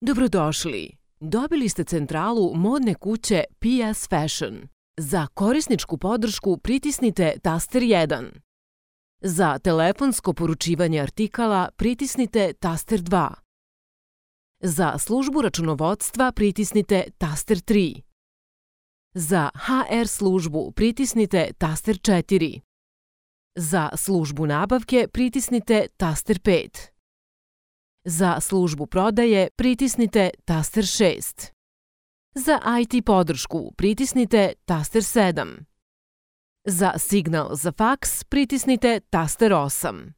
Dobrodošli! Dobili ste centralu modne kuće PS Fashion. Za korisničku podršku pritisnite taster 1. Za telefonsko poručivanje artikala pritisnite taster 2. Za službu računovodstva pritisnite taster 3. Za HR službu pritisnite taster 4. Za službu nabavke pritisnite taster 5. Za službu prodaje pritisnite taster 6. Za IT podršku pritisnite taster 7. Za signal za faks pritisnite taster 8.